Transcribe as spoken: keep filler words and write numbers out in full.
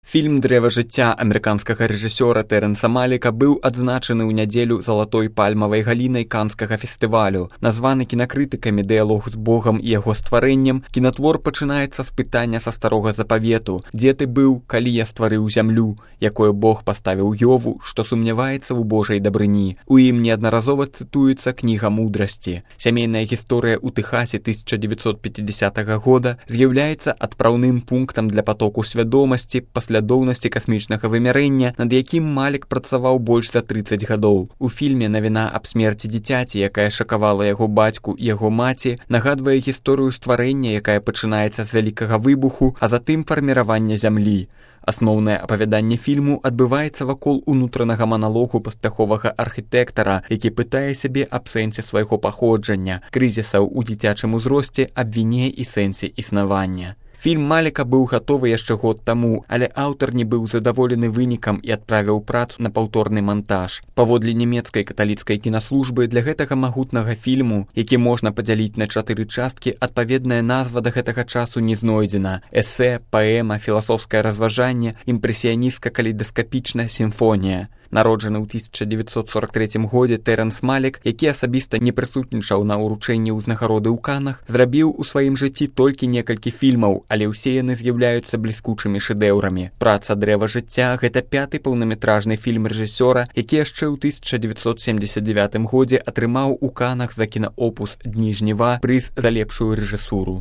Фільм «Дрэва жыцця» амерыканскага рэжысёра Тэрэнса Маліка быў адзначаны ў нядзелю залатой пальмавай галінай канскага фестывалю. Названы кінакрытыкамі «Дыялог з Богам і яго стварэннем», кінатвор пачынаецца з пытання са старога запавету: «Дзе ты быў, калі я стварыў зямлю, якое Бог паставіў Йову, што сумняваецца ў Божай дабрыні». У ім неаднаразова цытуецца кніга мудрасці. Сямейная гісторыя ў Тэхасе тысяча дзевяцьсот пяцідзясятага года з'яўляецца адпраўным пунктам для патоку свядомасці, паслядоўнасці касмічнага вымярэння, над якім Малік працаваў больш за трыццаць гадоў. У фільме навіна аб смерці дзіцяці, якая шакавала яго бацьку і яго маці, нагадвае гісторыю стварэння, якая пачынаецца з вялікага выбуху, а затым фарміравання зямлі. Асноўнае апавяданне фільму адбываецца вакол унутранага маналогу паспяховага архітэктара, які пытае сябе аб сэнсе свайго паходжання, крызісаў у дзіцячым узросце, аб віне і сэнсе існавання. Фільм Маліка быў гатовы яшчэ год таму, але аўтар не быў задаволены вынікам і адправіў працу на паўторны мантаж. Паводле нямецкай каталіцкай кінаслужбы, для гэтага магутнага фільму, які можна падзяліць на чатыры часткі, адпаведная назва да гэтага часу не знойдзена. Эсэ, паэма, філасофскае разважанне, імпрэсіяністка-калейдаскапічная сімфонія. Народжаны ў тысяча дзевяцьсот сорак трэцім годзе Тэрэнс Малік, які асабіста не прысутнічаў на ўручэнні ўзнагароды ў Канах, зрабіў у сваім жыцці толькі некалькі фільмаў, але ўсе яны з'яўляюцца бліскучымі шэдэўрамі. Праца «Дрэва жыцця» — гэта пяты паўнаметражны фільм рэжысёра, які яшчэ ў тысяча дзевяцьсот семдзесят дзевятым годзе атрымаў у Канах за кінаопус «Дні жніва» прыз за лепшую рэжысуру.